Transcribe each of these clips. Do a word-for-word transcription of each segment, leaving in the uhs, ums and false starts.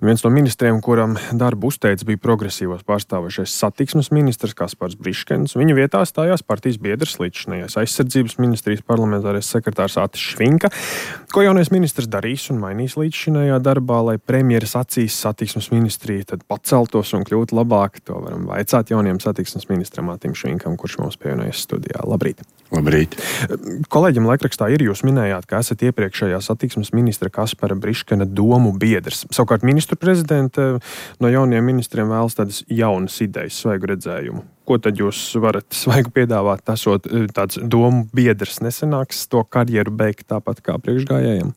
Viens no ministriem, kuram darbu uzteica, bija progresīvos pārstāvošais satiksmes ministrs Kaspars Briškens. Viņa vietā stājās partijas biedrs līdzinājais aizsardzības ministrijas parlamentārais sekretārs Atis Švinka. Ko jaunais ministrs darīs un mainīs līdzinājā darbā, lai premjeras acīs satiksmes ministrija tad paceltos un kļūtu labāk? To varam vaicāt jaunajam satiksmes ministram Atim Švinkam, kurš mums pievienojas studijā. Labrīt! Labrīt! Kolēģim laikrakstā ir jūs minējāt, ka esat iepriekšējā satiksmes ministra Kaspara Briškena domu biedrs. Savukārt ministru prezidente no jaunajiem ministriem vēlas tādas jaunas idejas, svaigu redzējumu. Ko tad jūs varat svaigu piedāvāt, esot tāds domu biedrs? Nesanāks to karjeru beigt tāpat kā priekšgājējiem?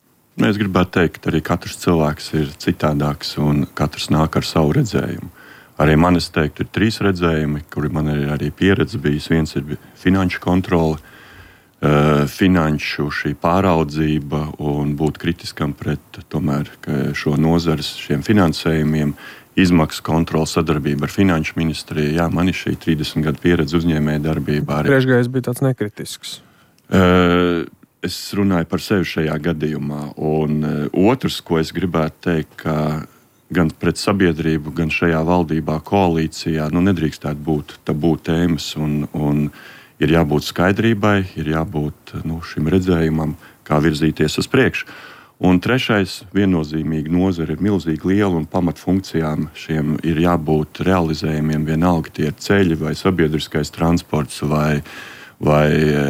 Es gribētu teikt, ka arī katrs cilvēks ir citādāks un katrs nāk ar savu redzējumu. Arī man, es teiktu, ir trīs redzējumi, kuri man ir arī pieredze bijis. Viens ir finanšu kontrole, finanšu šī pāraudzība un būt kritiskam pret tomēr šo nozares šiem finansējumiem, izmaksu kontrole, sadarbība ar finanšu ministriju. Jā, man ir šī trīsdesmit gadu pieredze uzņēmēja darbībā. Priekšgājējs bija tāds nekritisks. Es runāju par sevi šajā gadījumā. Un otrs, ko es gribētu teikt, ka gan pret sabiedrību, gan šajā valdībā, koalīcijā, nu nedrīkstētu būt tabū tēmas un, un ir jābūt skaidrībai, ir jābūt nu, šim redzējumam, kā virzīties uz priekšu. Un trešais, viennozīmīgi nozara ir milzīgi liela un pamatfunkcijām šiem ir jābūt realizējumiem, vienalga tie ir ceļi vai sabiedriskais transports vai, vai e,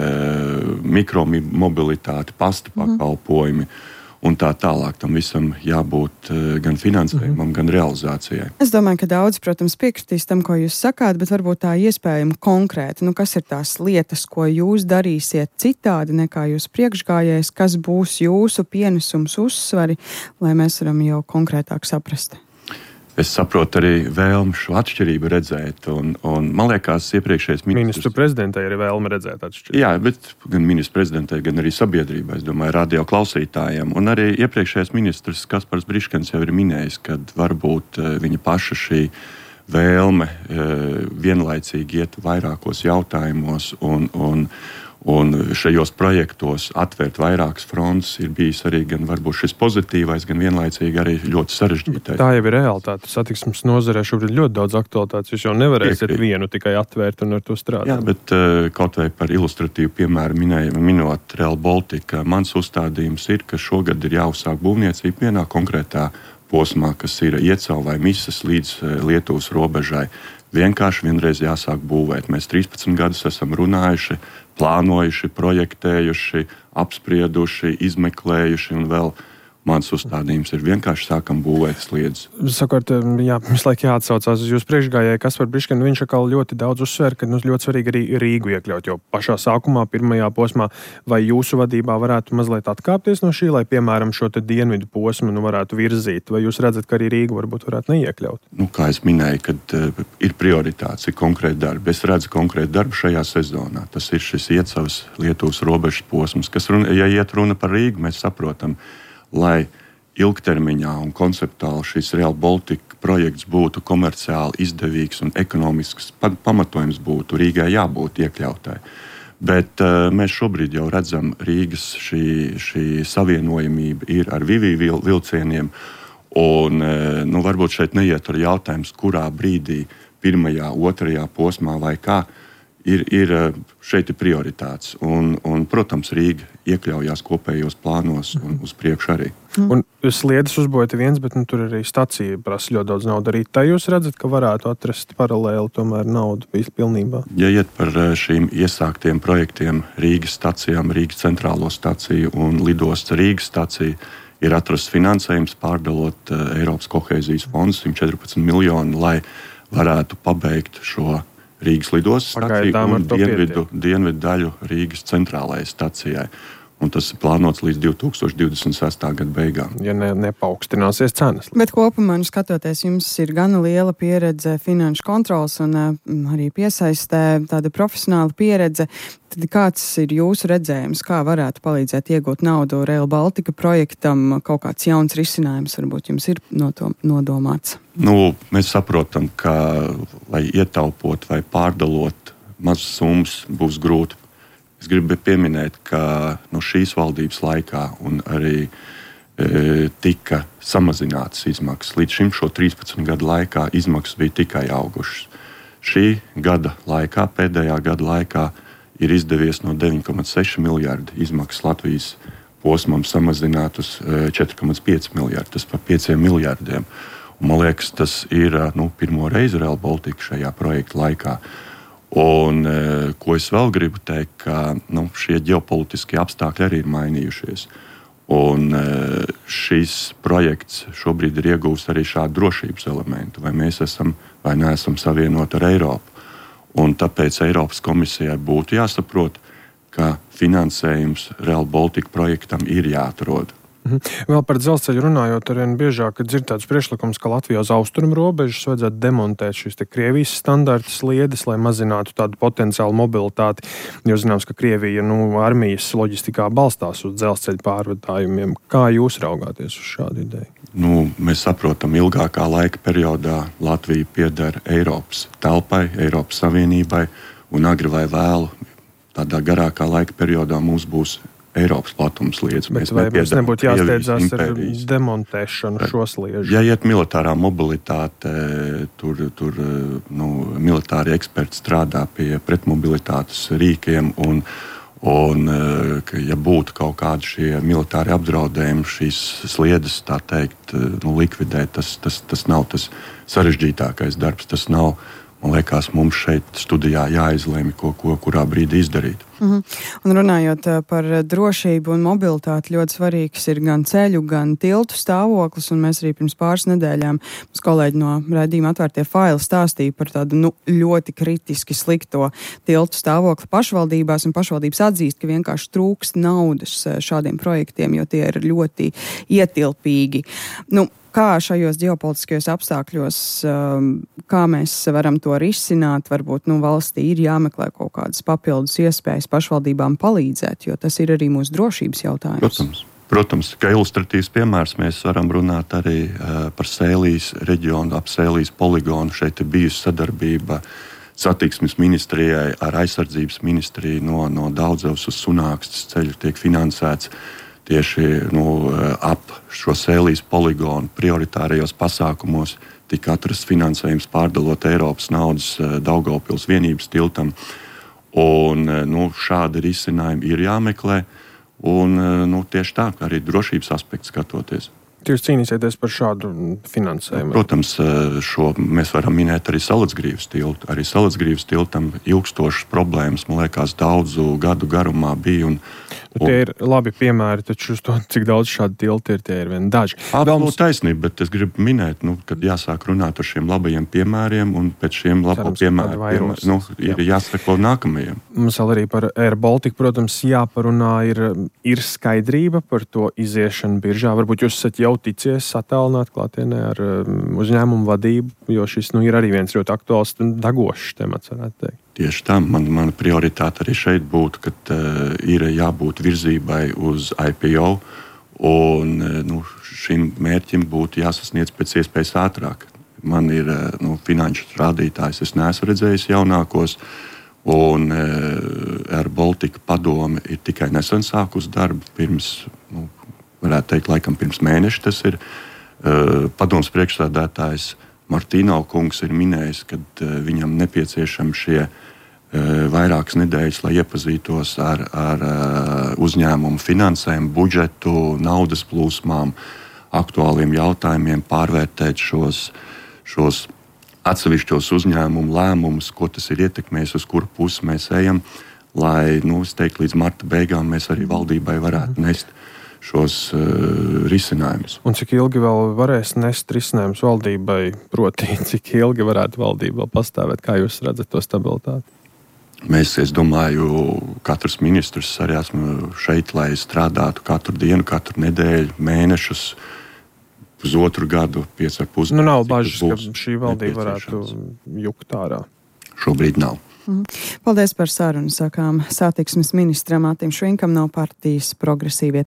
mikromobilitāte, pasta pakalpojumi. Mm. Un tā tālāk tam visam jābūt gan finansējumam, mm-hmm. gan realizācijai. Es domāju, ka daudz, protams, piekritīs tam, ko jūs sakāt, bet varbūt tā iespējama konkrēti. Nu, kas ir tās lietas, ko jūs darīsiet citādi nekā jūs priekšgājējs, kas būs jūsu pienesums uzsvari, lai mēs varam jau konkrētāk saprast? Es saprotu arī vēlmu šo atšķirību redzēt, un, un man liekas, iepriekšējais ministrs... Ministru prezidentei ir vēlme redzēt atšķirību. Jā, bet gan ministru prezidentei, gan arī sabiedrībai, es domāju, radio klausītājiem. Un arī iepriekšējais ministrs Kaspars Briškens jau ir minējis, ka varbūt viņa paša šī vēlme vienlaicīgi iet vairākos jautājumos un, un Un šajos projektos atvērt vairākas frontes ir bijis arī gan varbūt šis pozitīvais, gan vienlaicīgi arī ļoti sarežģītais. Tā jau ir realitāte. Satiksmes nozarē šobrīd ļoti daudz aktualitātes. Jūs jau nevarēsiet Piekrīt. vienu tikai atvērt un ar to strādāt. Jā, bet uh, kaut vai par ilustratīvu piemēru minēju, minot Rail Baltica, mans uzstādījums ir, ka šogad ir jāuzsāk būvniecība vienā konkrētā posmā, kas ir Iecau vai Misas līdz uh, Lietuvas robežai. Vienkārši vienreiz jāsāk būvēt. Mēs trīspadsmit gadus esam runājuši, plānojuši, projektējuši, apsprieduši, izmeklējuši un vēl mans uzstādījums ir vienkārši sākam būvēt sliedus. Sakot, jā, visu laiku jāatsaucās uz jūsu priekšgājēju Kasparu Briškenu, viņš atkal ļoti daudz uzsver, ka nu, ļoti svarīgi arī Rīgu iekļaut, jo pašā sākumā, pirmajā posmā, vai jūsu vadībā varētu mazliet atkāpties no šī, lai, piemēram, šo te dienvidu posmu nu, varētu virzīt, vai jūs redzat, ka arī Rīgu varbūt varētu neiekļaut? Nu, kā es minēju, kad uh, ir prioritāts, ir konkrēti darbi. Es redzu konkrēti darbu šajā sezonā. Tas ir šis Iecavas Lietuvas robežas posms, kas, runa, ja iet runa par Rīgu, mēs saprotam, lai ilgtermiņā un konceptuāli šis Rail Baltica projekts būtu komerciāli izdevīgs un ekonomisks pamatojums būtu Rīgai jābūt iekļautai. Bet uh, mēs šobrīd jau redzam, Rīgas šī, šī savienojamība ir ar Vivī vil, vilcieniem, un uh, nu, varbūt šeit neiet ar jautājums, kurā brīdī, pirmajā, otrajā posmā vai kā, Ir, ir šeit ir prioritātes. Un, un, protams, Rīga iekļaujās kopējos plānos un uz priekšu arī. Mm. Un sliedas uzbūvēta viens, bet nu, tur arī stacija prasa ļoti daudz naudu. Arī tā jūs redzat, ka varētu atrast paralēli tomēr naudu pilnībā? Ja iet par šīm iesāktiem projektiem Rīgas stacijām, Rīgas centrālo staciju un lidosts Rīgas staciju, ir atrasts finansējums pārdalot Eiropas kohēzijas fondu simt četrpadsmit miljonu, lai varētu pabeigt šo Rīgas lidostas staciju un dienvidu, dienvidu daļu Rīgas centrālajai stacijai. Un tas ir plānots līdz divi tūkstoši divdesmit sestā gada beigām. Ja ne, nepaukstināsies cenas. Bet kopumā, nu, skatoties, jums ir gan liela pieredze finanšu kontrols un uh, arī piesaistē tāda profesionāla pieredze. Tad kāds ir jūsu redzējums, kā varētu palīdzēt iegūt naudu Rail Baltica projektam? Kaut kāds jauns risinājums varbūt jums ir no to nodomāts? Nu, mēs saprotam, ka, lai ietaupot vai pārdalot mazas summas, būs grūti. Es gribu pieminēt, ka no šīs valdības laikā un arī e, tika samazinātas izmaksas. Līdz šim šo trīspadsmit gadu laikā izmaksas bija tikai augušas. Šī gada laikā, pēdējā gada laikā, ir izdevies no deviņi komats seši miljardi izmaksas Latvijas posmam samazināt uz četri komats pieci miljardi. Tas par pieciem miljardiem. Un, man liekas, tas ir nu, pirmo reizi Rail Baltica šajā projekta laikā. Un, ko es vēl gribu teikt, ka nu, šie ģeopolitiskie apstākļi arī ir mainījušies. Un šis projekts šobrīd ir iegūst arī šādu drošības elementu, vai mēs esam vai neesam savienoti ar Eiropu. Un tāpēc Eiropas komisijai būtu jāsaprot, ka finansējums Rail Baltica projektam ir jāatrod. Mhm. Vēl par dzelzceļu runājot, arvien biežāk dzird tāds priekšlikums, ka Latvijā uz austrumu robežas vajadzētu demontēt šīs te Krievijas standarta sliedes, lai mazinātu tādu potenciālu mobilitāti. Jo zināms, ka Krievija nu, armijas loģistikā balstās uz dzelzceļu pārvadājumiem. Kā jūs raugāties uz šādu ideju? Nu, mēs saprotam, ilgākā laika periodā Latvija pieder Eiropas telpai, Eiropas Savienībai, un agri vai vēlu tādā garākā laika periodā mums būs Eiropas platums sliedes. Bet vai mums nebūtu jāsteidzās ar demontēšanu šo sliežu? Ja iet militārā mobilitāte, tur, tur nu, militāri eksperti strādā pie pretmobilitātes rīkiem, un, un ja būtu kaut kādi šie militāri apdraudējumi, šīs sliedes, tā teikt, nu, likvidēt, tas, tas, tas nav tas sarežģītākais darbs, tas nav. Man liekas, mums šeit studijā jāizlēma, ko, ko kurā brīdī izdarīt. Mhm. Un runājot par drošību un mobilitāti, ļoti svarīgs ir gan ceļu, gan tiltu stāvoklis. Un mēs arī pirms pāris nedēļām mums kolēģi no raidījuma Atvērtie faili stāstīja par tādu nu, ļoti kritiski slikto tiltu stāvokli pašvaldībās. Un pašvaldības atzīst, ka vienkārši trūkst naudas šādiem projektiem, jo tie ir ļoti ietilpīgi. Nu, Kā šajos ģeopolitiskajos apstākļos, kā mēs varam to risināt? Varbūt nu, valstī ir jāmeklē kaut kādas papildus iespējas pašvaldībām palīdzēt, jo tas ir arī mūsu drošības jautājums. Protams, protams, kā ilustratīvs piemērs mēs varam runāt arī uh, par Sēlijas reģionu, ap Sēlijas poligonu. Šeit ir bijusi sadarbība satiksmes ministrijai ar aizsardzības ministriju no, no Daudzavas uz Sunākstes ceļu tiek finansēts. Tieši nu, ap šo Sēlijas poligonu prioritārajos pasākumos tika atrasts finansējums pārdalot Eiropas naudas Daugavpils vienības tiltam. Un, nu, šādi risinājumi ir jāmeklē. Un, nu, tieši tā, arī drošības aspekts skatoties. Jūs cīnīsieties par šādu finansējumu? Protams, šo mēs varam minēt arī Salacgrīvas tiltu. Arī Salacgrīvas tiltam ilgstošas problēmas, man liekas, daudzu gadu garumā bija. Un, un... Tie ir labi piemēri, taču uz to, cik daudz šādu tiltu ir, tie ir vien daži. Absolūti taisnība, bet es gribu minēt, nu, kad jāsāk runāt ar šiem labajiem piemēriem, un pēc šiem labo piemēriem nu, ir jā. jāsako nākamajiem. Mums vēl arī par Air Baltica, protams, jāparunā, ir, ir skaidrība par to iziešanu biržā. Varbūt jūs esat jau ticies attālināt klātienē ar um, uzņēmumu vadību, jo šis nu, ir arī viens ļoti aktuāls un dagošs temats, varētu teikt. Tieši tā, man, mana prioritāte arī šeit būtu, ka uh, ir jābūt virzībai uz I P O, un uh, nu, šim mērķim būtu jāsasniedz pēc iespējas ātrāk. Man ir uh, nu, finanšu rādītājs, es neesmu redzējis jaunākos, un uh, Air Baltica padome ir tikai nesen sākus darbu pirms, nu, varētu teikt, laikam pirms mēneša tas ir. Uh, padomes priekšsēdētājs Martīnau kungs ir minējis, ka uh, viņam nepieciešami šie uh, vairākas nedēļas, lai iepazītos ar, ar uh, uzņēmumu finansējumu, budžetu, naudas plūsmām, aktuāliem jautājumiem, pārvērtēt šos, šos atsevišķos uzņēmumu lēmumus, ko tas ir ietekmējis, uz kuru pusi mēs ejam, lai, nu, es teiktu, līdz marta beigām mēs arī valdībai varētu nest šos uh, risinājumus. Un cik ilgi vēl varēs nest risinājumus valdībai, proti, cik ilgi varētu valdība vēl pastāvēt? Kā jūs redzat to stabilitāti? Mēs, es domāju, katrs ministrs arī esmu šeit, lai strādātu katru dienu, katru nedēļu, mēnešus, pusotru gadu, pieci ar pus. Nu, nav bažas, ka šī valdība varētu jukt ārā. Šobrīd nav. Mm. Paldies par sarunu, sakām satiksmes ministram Mātim Švinkam no partijas Progresīvie